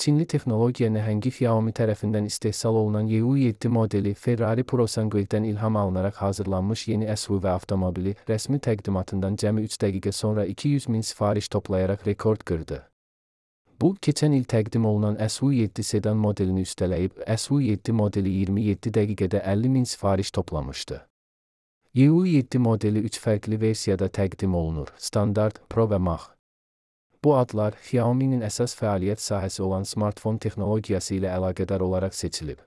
Çinli texnologiya nəhəngi Xiaomi tərəfindən istehsal olunan EU7 modeli Ferrari Purosangue'dən ilham alınaraq hazırlanmış yeni SUV avtomobili rəsmi təqdimatından cəmi 3 dəqiqə sonra 200 min sifariş toplayaraq rekord qırdı. Bu, keçən il təqdim olunan SU7 sedan modelini üstələyib, SU7 modeli 27 dəqiqədə 50 min sifariş toplamışdı. EU7 modeli 3 fərqli versiyada təqdim olunur: Standart, Pro və Max. Bu adlar Xiaomi'nin əsas fəaliyyət sahəsi olan smartfon texnologiyası ilə əlaqədar olaraq seçilib.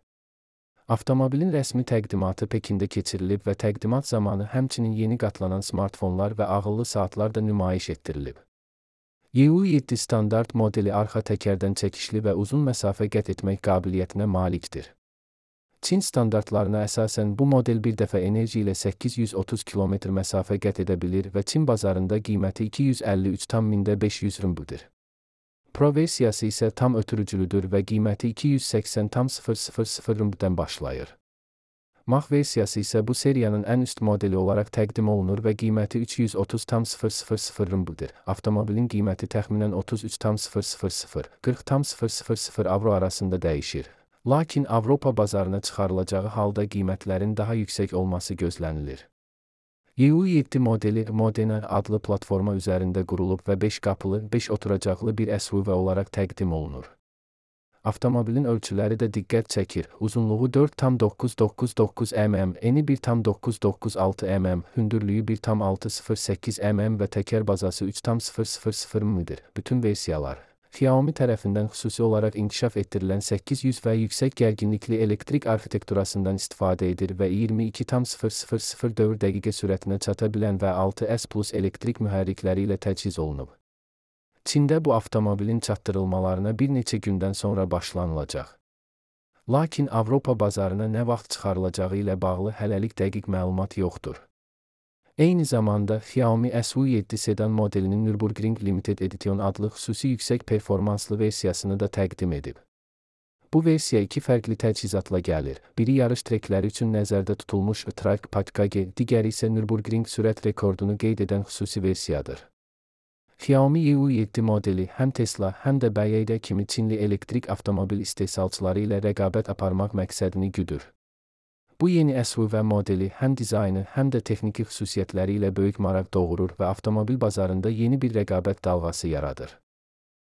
Avtomobilin rəsmi təqdimatı Pekində keçirilib və təqdimat zamanı həmçinin yeni qatlanan smartfonlar və ağıllı saatlar da nümayiş etdirilib. EU7 standart modeli arxa təkərdən çəkişli və uzun məsafə qət etmək qabiliyyətinə malikdir. Çin standartlarına əsasən bu model bir dəfə enerji ilə 830 km məsafə qət edə bilir və Çin bazarında qiyməti 253,500 RMB-dir. Pro versiyası isə tam ötürücülüdür və qiyməti 280,000 RMB-dən başlayır. Max versiyası isə bu seriyanın ən üst modeli olaraq təqdim olunur və qiyməti 330,000 RMB-dir. Avtomobilin qiyməti təxminən 33,000-40,000 avro arasında dəyişir. Lakin Avropa bazarına çıxarılacağı halda qiymətlərin daha yüksək olması gözlənilir. EU7 modeli Modena adlı platforma üzərində qurulub və 5 qapılı, 5 oturacaqlı bir SUV olaraq təqdim olunur. Avtomobilin ölçüləri də diqqət çəkir. Uzunluğu 4,999 mm, eni 1,996 mm, hündürlüyü 1,608 mm və təkər bazası 3,000 mm-dir. Bütün versiyalar Xiaomi tərəfindən xüsusi olaraq inkişaf etdirilən 800 və yüksək gərginlikli elektrik arxitekturasından istifadə edir və 22,000 dəqiqə sürətinə çata bilən və 6S Plus elektrik mühərrikləri ilə təchiz olunub. Çində bu avtomobilin çatdırılmalarına bir neçə gündən sonra başlanılacaq. Lakin Avropa bazarına nə vaxt çıxarılacağı ilə bağlı hələlik dəqiq məlumat yoxdur. Eyni zamanda Xiaomi SU7 sedan modelinin Nürburgring Limited Edition adlı xüsusi yüksək performanslı versiyasını da təqdim edib. Bu versiya 2 fərqli təchizatla gəlir. Biri yarış trekləri üçün nəzərdə tutulmuş Track Package, digəri isə Nürburgring sürət rekordunu qeyd edən xüsusi versiyadır. Xiaomi EU7 modeli həm Tesla, həm də BYD kimi Çinli elektrik avtomobil istehsalçıları ilə rəqabət aparmaq məqsədini güdür. Bu yeni SUV modeli həm dizaynı, həm də texniki xüsusiyyətləri ilə böyük maraq doğurur və avtomobil bazarında yeni bir rəqabət dalğası yaradır.